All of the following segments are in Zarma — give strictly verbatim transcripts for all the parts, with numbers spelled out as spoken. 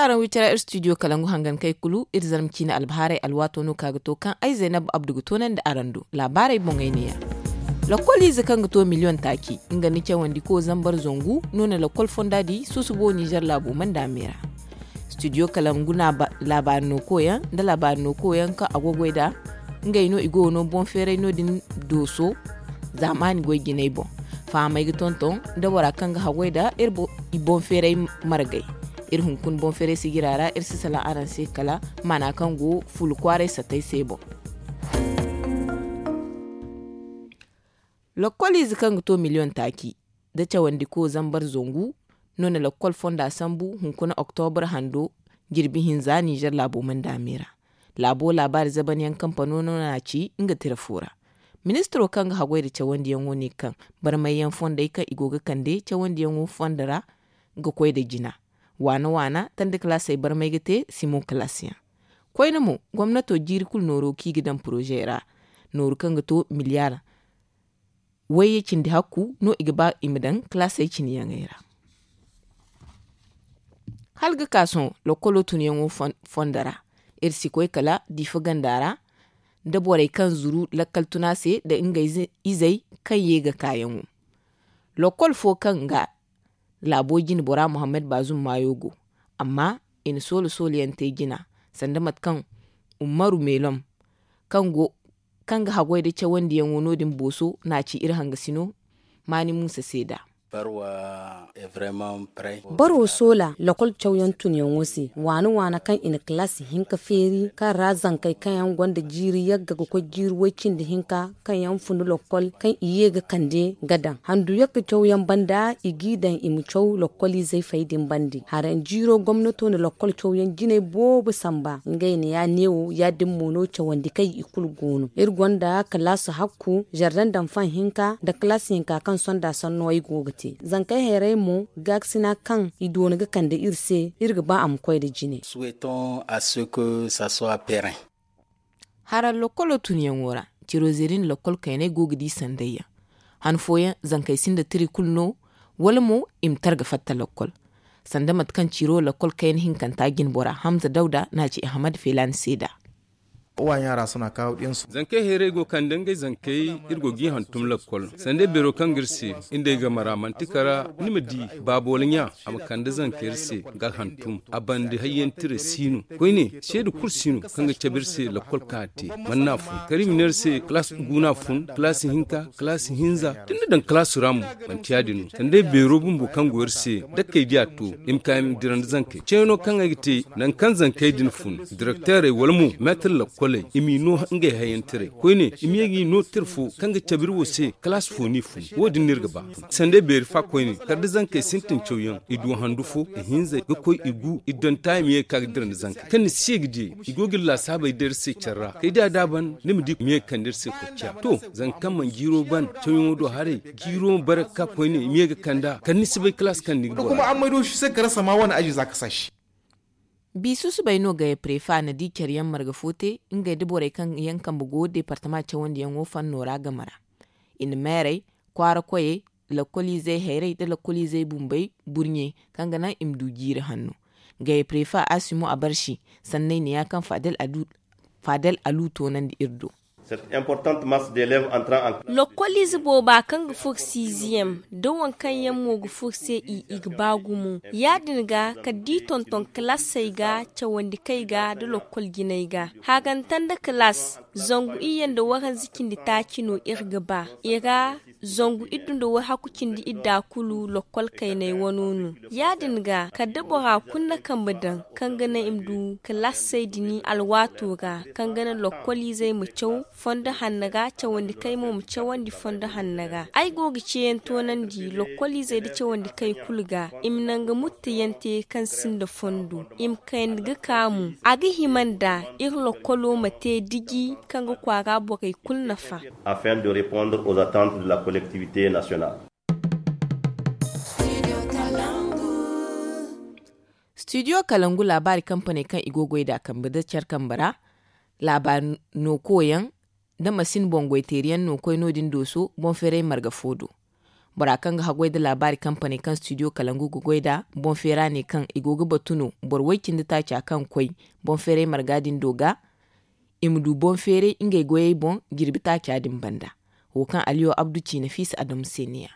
Araŋ wi tira ir studio kalangu hangan kay kulu ir zarma ciine albahaarey alwaato no ka ga to kaŋ ay zaynab abdu ga toonandi araŋ do. Laabaarey boŋey neeya. Lokkoliize kaŋ ga to miliyoŋ taaci nga nda cawandiko zambar zangu no na lokkol fonda di susubo ninzeer laabo manda me ra. Studio kalangu laabaari no koyaŋ nda laabaari no koyaŋ kaŋ a go ga goy nd'a ngey no i go ga no boŋ feeray no- din dooso. Zaamaani goy jinay boŋ fahamey ga tonton nda bora kaŋ ga haggoy nda i boŋ feeray margey. Iri hunkuna boŋ feeray sijira ra iri si salaŋ araŋ se kala maana kaŋ go fuula kwaaray sattey se boŋ. Lokkoliize kaŋ ga to miliyoŋ taaci nda cawandiko zambar zangu no na lokkol fonda sambu hunkuna oktobra hando jirbi hinza ninzeer laabo manda me ra. Laabo laabaari zabanyaŋ kampano no na a ci nga tira fo ra. Ministiro kaŋ ga haggoy nda cawandiyaŋo ne kaŋ barmayyaŋ fondey kaŋ i go ga kande cawandiyaŋo fondo ra ga koy nda jina waana waana tanda kalaasey barmay ga te simo kalaasiyaŋ. Koyne mo gomnato jiiri kulu nooro kaŋ i ga daŋ poroze ra nooru kaŋ ga to miliyaar wayye cindi hakku no i ga ba i ma daŋ kalaasey cine yaŋey ra. Hala ga ka sohõ lokkolo tunyaŋo fondo ra iri si koy kala diifa ganda ra nda borey kaŋ zuru lakkal tuna se nda ngey izey kaŋ ye ga kaayaŋo. Lokkol fo kaŋ ga laabo jine bora muhammad baazum maayo go amma i na soolo sooloyaŋ te jina sanda mate kaŋ ummaru meelom kaŋ ga haggoy nda cawandiyaŋo no- din booso no a ci iri hangasino maani muusa se nd'a. Baro soola lokol cawyaŋ tunyaŋo se waana waana kaŋ i na kalaasi hinka feeri kaŋ ra zankey kaŋ yaŋ gonda jiiri yagga ga koy jiiri way- cindi hinka kaŋ yaŋ funu lokkol kaŋ i ye ga kande ga daŋ handu yagga cawyaŋ banda i g'i daŋ i ma caw lokkoliizey fay din bande haraŋ jiiro gomnato na lokkol cawyaŋ jinay boobo samba ngey ne ya- din mo no cawandi kay i kulu go no iri gonda kalaasi hakku zardan daŋ fan hinka nda kalaasi hinka kaŋ sonda sanno ay go ga te zankey hayray mo gaakasina kaŋ i doona ga kande iri se iri ga ba a ma koy nda jine. Haraŋ lokkolo tunyaŋo ra ciro zeeri nda lokkol kaynay go ga di sandayyaŋ han fooyaŋ zankey sinda tira i kulu no wala mo i ma tara ga fatta lokkol sanda mate kaŋ ciro lokkol kayna hinkanta jinbora hamza dawda no a ci ahmad feelaani se nd'a. Zankey hayray go kande ngey zankey iri go g'i hantum lakkol sanda beero kaŋ ga iri se nda ay game ra manti kara ni ma di baabo wala ɲa a ma kande zanka iri se ga hantum a bande hayyaŋ tira si no koyne seeda kulu si no kaŋ ga cabe iri se lakkol kaŋ a te man no a fun kala i ma ne iri se kalaasi gu no a fun kalaasi hinka kalaasi hinza da ni na daŋ kalaasi ra mo manti ya- din no sanda ay beero bumbo kaŋ go iri se dakkey di a to i ma ka i ma dira nda zankey ceeno kaŋ ay ga te nangu kaŋ zankey din fun direkteerey wala mo meetir lakkoley i m'i no ngey hayyaŋ tiray koyne i ma ye g'i no tira fo kaŋ ga cabe iri wo se kalaasi fo no i fun wo- din no iri ga ba sanda ay beeri fa koyne kala da zankey sintin cawyaŋ i du handu fo i hinzey ga koy i gu i donta i ma ye ga ka ga dira nda zankey kaŋ ni si ye ga di i go ga iri laasaabey day iri se care ra kay da a da ban ni ma di i ma ye ga kande iri se kocciya to zanka kaŋ mana jiiro ban cawyaŋo do haray jiiro ma bare ga ka koyne i ma ye ga kand'a kala ni si bay kalaasi kaŋ ni ga bora. Bi susubay no gaye prefa na di care yaŋ marga fo te ngey nda borey kaŋ yaŋ kambe go departama cawandiyaŋo fanno ra game ra i na meerey kwaara koyey lakkoliizey hayrey nda lakkoliizey bumbey burɲe kaŋ ga naŋ i ma du jiiri hanno. Gaye prefa asimo abarsi sanney ne ya kaŋ faadel alu toonandi iri do. Lokkoliize booba kaŋ ga furo siiziyem da waŋ kaŋ yaŋ mo ga furo se i i ga ba gumo ya- din ga kala da i tonton kalaasey ga cawandi kay ga nda lokkol jinay ga haaganta nda kalaas zangu iyye nda waranza cindi taaci no iri ga ba i ra. Zangu iddu nda wayhaku cindi idda kulu lokkol kaynay wano no ya- din ga kala da bora kulu na kambe daŋ kaŋ ga naŋ i ma du kalaasey din alwaato ra kaŋ ga naŋ lokkoliizey ma caw fondo hanno ra cawandi kay mo ma cawandi fondo hanno ra ay go ga ceeyaŋ toonandi lokkoliizey nda cawandi kay kulu ga i ma naŋ ga muttayaŋ te kaŋ sinda fondo i ma kayandi ga ka mo a ga hima nda iri lokkolo ma te diji kaŋ ga kwaara borey kulu nafa. Afin de répondre aux attentes de la collectivité nationale. Studio kalangu laabaari kampaney kaŋ i go ga goy nd'a kambe nda care kambe ra laabaari no koyaŋ nda masin boŋ goy teeriyaŋ no koy no- din dooso boŋ feeray marga fo do. Bora kaŋ ga haggoy nda laabaari kampaney kaŋ studio kalangu ga goy nd'a, boŋ feera ne kaŋ i go ga batu no boro way- cindi taaca kaŋ koy boŋ feeray marga din do ga, i ma du boŋ feeray ngey goyey boŋ jirbi taaca din banda. Wo kaŋ aliyo abdu ci nafiisa adamu se ne- ya.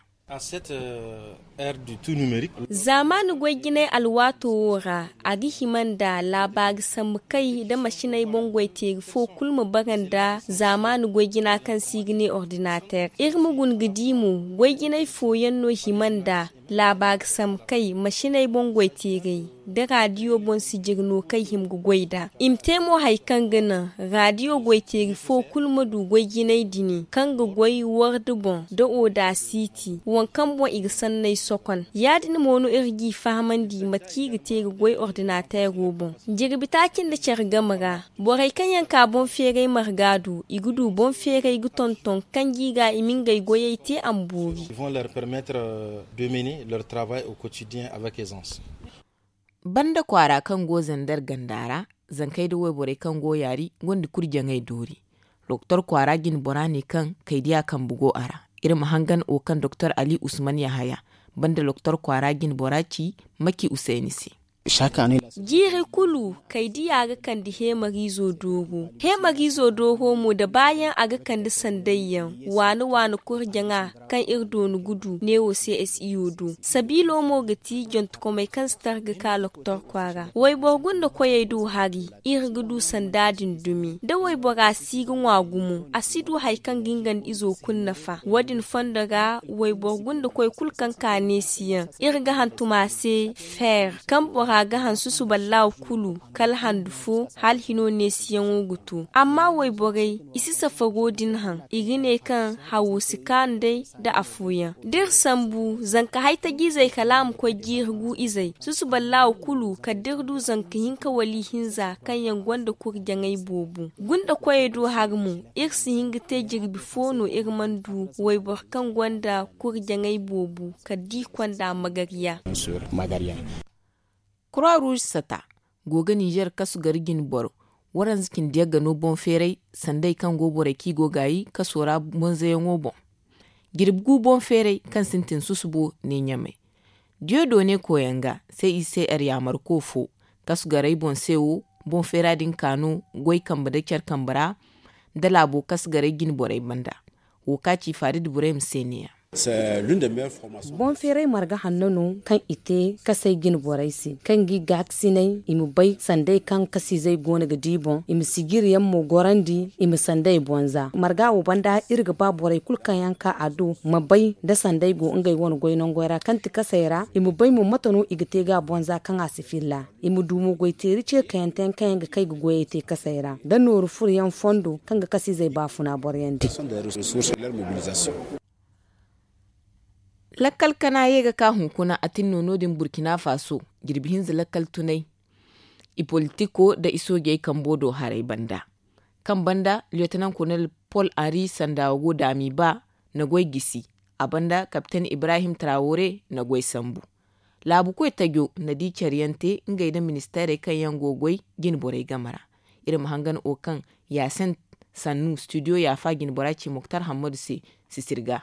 Zaamaani goy-jinay alwaato wo ra, a ga hima nda laabaari sambu kay nda masiney boŋ goy-teeri fo kulu ma bara nda zaamaani goy-jina kaŋ se i ga ne ordinateer. Iri ma guna ga di mo, goy-jinay fooyaŋ no hima nda laabaari sambu kay masiney boŋ goy-teerey nda raadiyo boŋ sijiri no kaŋ i hima ga goy nd'a. I ma te mo hari kaŋ ga naŋ raadiyo goy-teeri fo kulu ma du goy-jinay dini kaŋ ga goy wardi boŋ nda odaasiti, waŋ kaŋ boŋ i ga sanney sokon. Ya- din mo no iri g'i fahamandi mate kaŋ i ga te ga goy ordinateero boŋ. Jirbi taaci nda care game ra, borey kaŋ yaŋ ka boŋ feeray marga du, i ga du boŋ feeray ga tonton kanji ga i ma ngey goyey te a ma boori. Banda kwaara kaŋ go zander ganda ra, zankey nda wayborey kaŋ go yaari gonda kurjaŋey doori. Doktor kwaara jine bora ne kaŋ kaydiya kambe go a ra. Iri ma hangan wo kaŋ doktor ali usman yahaya banda doktor kwaara jine bora ci maki usayni se. Jiiri kulu kaydiya ga kande heemariizo dooro. Heemariizo dooro mo da baayaŋ a ga kande sandayyaŋ waani waani kurjaŋa kaŋ iri dooni ga du neewo se s i o do. Sabiilo mo ga ti jontokomey kaŋ si tar ga ka loktor kwaara wayboro gunda koyey do hari. Iri ga du sanda din dumi da waybora si ga ŋwa gumo a si du hari kaŋ ga nga nda izo kulu nafa. Wo- din fondo ra wayboro gunda koy kulu kaŋ ka neesiyaŋ iri ga hantum a se. Feer kaŋ bora ga hansu suballahu kulu kala handu fo hala hino neesiyaŋo ga to. Amma wayborey i si safaro din haŋ i ga ne kaŋ hawo si kaanu day da afooyaŋ da iri sambu zanka haytajiizey kala a ma koy jiiri gu izey susuballahu kulu kala da iri du zanka hinka wala ihinza kaŋ yaŋ gonda kurjaŋey boobo. Gunda koyey do hari mo iri si hin ga te jirbi fo no iri mana du wayboro kaŋ gonda kurjaŋey boobo kala da i konda magariya. Kura ruuj sata go ga ninzeer kasu gari jine boro waranza cindi yagga no boŋ feeray sandey kaŋ go borey kaŋ i go gaayi kaso ra bonzayaŋo boŋ. Jirbi gu boŋ feeray kaŋ sintin susubo ne ɲamey diyo doone koyaŋ ga se i se ar yaamarko fo kasu garay boŋ se wo boŋ feera din ka no goy kambe nda care kambe ra nda laabo kasu garay jine borey banda. Wo ka ci faari da burey ma se ne- ya. Boŋ feeray marga hanno no kaŋ i te kasay jine borey se kaŋ ga i gaakasinay i ma bay sanday kaŋ kasiizey go no ga di boŋ i ma sijiri yaŋ mo gorandi i ma sanday bonza marga wo banda iri ga ba borey kulu kaŋ yaŋ ka a do ma bay da sanday go ngey wane goy nangoy ra kaŋ ti kasay ra i ma bay mo mate no i ga te ga bonza kaŋ a si filla. I ma du mo goy teeri ce kayanteyaŋ kaŋ yaŋ ga kay ga goyey te kasay ra da nooru furo yaŋ fondo kaŋ ga kasiizey baafuna boro yaŋ di. Lakkal kana ye ga ka hunkuna a tin no no- din burkina faso jirbi hinza lakkal tunay i politiko nda i soojey kambo do haray banda kaŋ banda liyotanan kolonel pol henri sandawo go daami ba na goy gisi. A banda kapten ibrahim trawore na goy sambu. Laabu koy tajo na di care yaŋ te ngey nda ministeerey kaŋ yaŋ go goy jine borey game ra. Iri ma hangan wo kaŋ yaasin sannu studio yaafa jine bora ci moktar hammadu se sisir ga.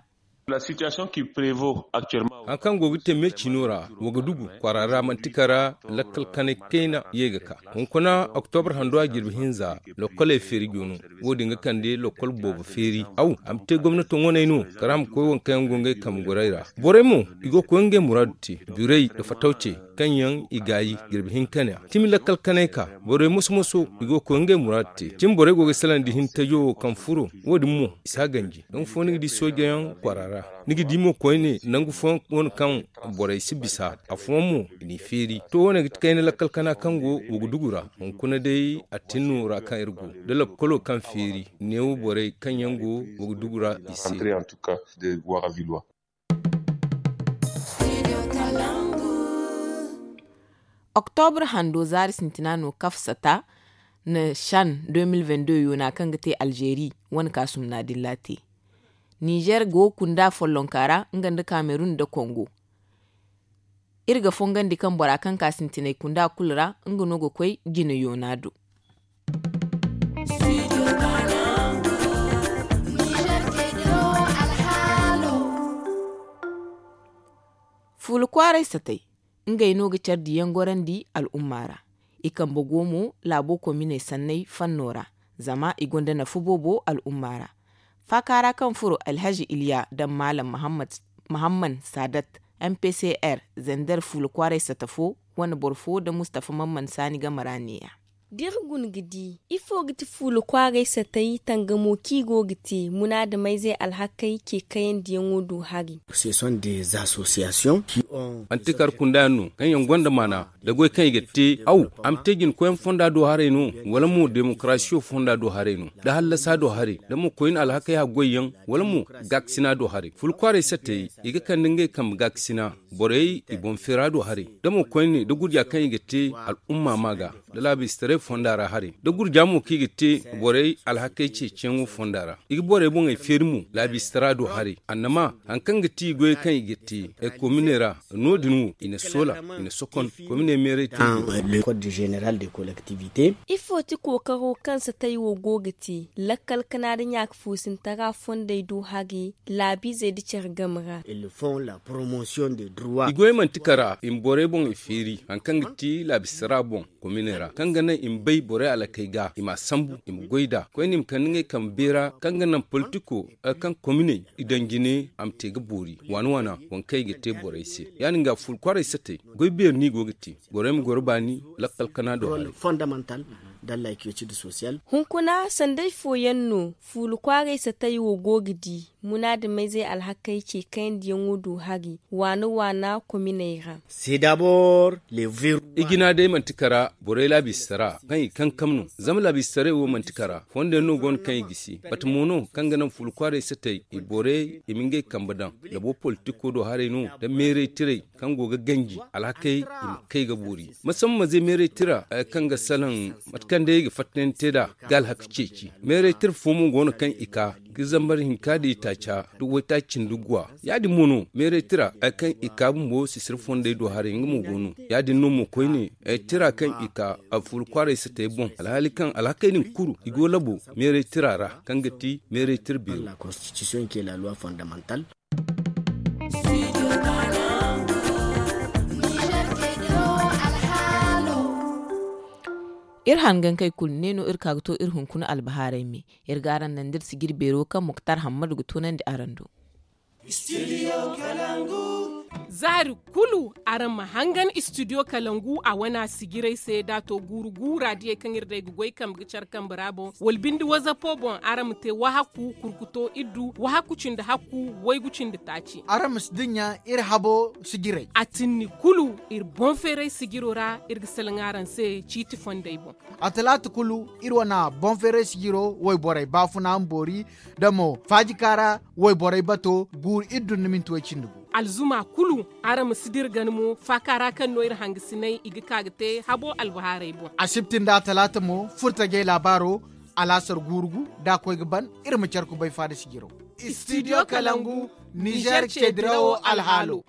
Hari kaŋ go ga te me ciino ra wagadugu kwaara ra manti kara lakkal kanay kayna ye ga ka hunkuna oktobar handu a jirbi hinza. Lokkoley feeri joono wo- din ga kande lokkol boobo feeri aw a ma te gomnato ŋwaney no kala a ma koy waŋ kaŋ yaŋ go ngey kambe gorey ra. Borey mo i go ga koy ngey muraadu te birey nda fatawcey kaŋ yaŋ i gaayi jirbi hinka ne a timi lakkal kanay ka borey moso moso i go ga koy ngey muraadu te cimi borey go ga ay salandi hintajo wo kaŋ furo. Wo- din mo i si a ganji nangu fo ni ga di soojayaŋ kwaara ra ni ga di mo koyne nangu fooyaŋ wane kaŋ borey si bisa afooyaŋ mo i n'i feeri to wane ga ti kayna lakkal kana kaŋ go wagadugu ra. Hunkuna day a tin no ra kaŋ iri go da lakkolo kaŋ feeri neewo borey kaŋ yaŋ go wagadugu ra i se. Oktobre hando zaari sintina no kafsata na shan deux mille vingt-deux yoona kaŋ ga te alzeeri wane kaasumna dilla te. Nizer go kunda follonka ra nga nda kamerun nda kongo. Iri ga fongandi kaŋ bora kaŋ ka sintinay kunda kulu ra nga no ga koy jine yoona do. Fuula kwaaray satay, ngey no ga care diyaŋ gorandi al'umma ra. I kambe go mo laabo kominey sanney fanno ra, zama i gonda nafa boobo al'umma ra. Faaka ra kaŋ furo alhazi iliya nda maalam mahamman saadat, m p c r, zender fuula kwaaray sata fo, wane boro fo nda mustafa mamman saani game ra neeya. Da iri guna ga di, ifo ga ti fuula kwaaray satay tangamo kaŋ i go ga te munaadamayzey alhakey ce kayandiyaŋo do hari? Antikar kunda yaŋ no kaŋ yaŋ gonda maana, da goy kaŋ i ga te aw, a ma te jinkoyaŋ fonda do haray no, wala mo demokarasiyo fonda do haray no, da hallasa do haray, da mo koyne alhakey haggoyyaŋ, wala mo gaakasina do haray. Fuula kwaaray satey, i ga kande ngey kambe gaakasina, borey i boŋ feera do haray, da mo koyne da gurja kaŋ i ga te al'umma ma ga, da laabistaray fonda ra haray, da gurja mo kaŋ i ga te borey alhakey ceeciyaŋo fonda ra. I ga borey boŋey feeri mo laabiistara do haray. Annama, hari kaŋ ga ti goyey kaŋ i ga te kominey ra, no- din wo i na soola, i na sokon kominey meeray te. Ifo ti kookaro kaŋ satay wo go ga te lakkal kana nda ɲaakafuusintara fondey do hari, laabiizey nda care game ra? I goyey manti kara i ma borey boŋey feeri hari kaŋ ga ti laabiistara boŋ, kominey ra kaŋ ga naŋ i ma bay borey alakey ga i m'a sambu i ma goy nd'a koyne i ma kande ngey kambe beera kaŋ ga naŋ politiko, kaŋ kominey i daŋ jine a ma te ga boori waana waana, waŋ kaŋ i ga te borey se. Ya- din ga fuula kwaaray satey, goy beeri no i go ga te, borey ma goro baani lakkal kana do haray. Hunkuna sanday fooyaŋ no fuula kwaaray satey wo go ga di munaadamayzey alhakey ce kayandiyaŋo do hari, waana waana kominey ra. I jina day manti kara borey laabiistara kaŋ i kankam no, zama laabiistaray wo manti kara, fondo yaŋ no go no kaŋ i gisi bata mo no kaŋ ga naŋ fuula kwaaray satey i borey i ma ngey kambe daŋ, labo politiko do haray no, da meeray tiray kaŋ go ga ganji alhakey i ma kay ga boori. Masamma zay meeray tira kaŋ ga salaŋ mate kaŋ day i ga fattandi te nd'a ga alhaka ceeci. Meeray tira fo mo go no kaŋ i ka ga zambar hinka da itaaca da waytaaci cindi guwa. Ya- din mo no meeray tira kaŋ i ka bumbo sisiri fondey do haray nga mo go no. Ya- din no mo koyne tira kaŋ i ka fuula kwaaray satey boŋ alhaali kaŋ alhakey din kulu i go labo meeray tira ra, kaŋ ga ti meeray tira beero. Iri hangankey kulu ne no iri ka ga to iri hunkuna albahaarey me. Iri ga araŋ naŋ da iri sijiri beero kaŋ muktar hammadu ga toonandi araŋ do. Zaari kulu araŋ ma hangan istidiyo kalangu a wana sijirey se da a to guuru guura diyey kaŋ iri day ga goy kambe ga care kambe ra boŋ wala binde wazapo boŋ araŋ ma te wahaku kurkuto iddu wahaku cindi hakku waygu cindi taaci. Araŋ ma si dinya iri habo sijirey. A tinni kulu iri boŋ feeray sijiro ra iri ga salaŋ araŋ se ciiti fondey boŋ. A talaata kulu iri wane boŋ feeray sijiro wayborey baafuna ma boori da mo faajika ra wayborey bato guuru iddu nda minti way cindi gu. Alzuma kulu araŋ ma si dira gana mo faaka ra kaŋ no iri hangasinay i ga ka ga te habo albahaarey boŋ. Asibti nda a talaata mo furtajey laabaaro alaasar guuru gu da a koy ga ban iri ma care kubay faada sijiro. Istidiyo kalangu nizer ceedirawo alhaalo.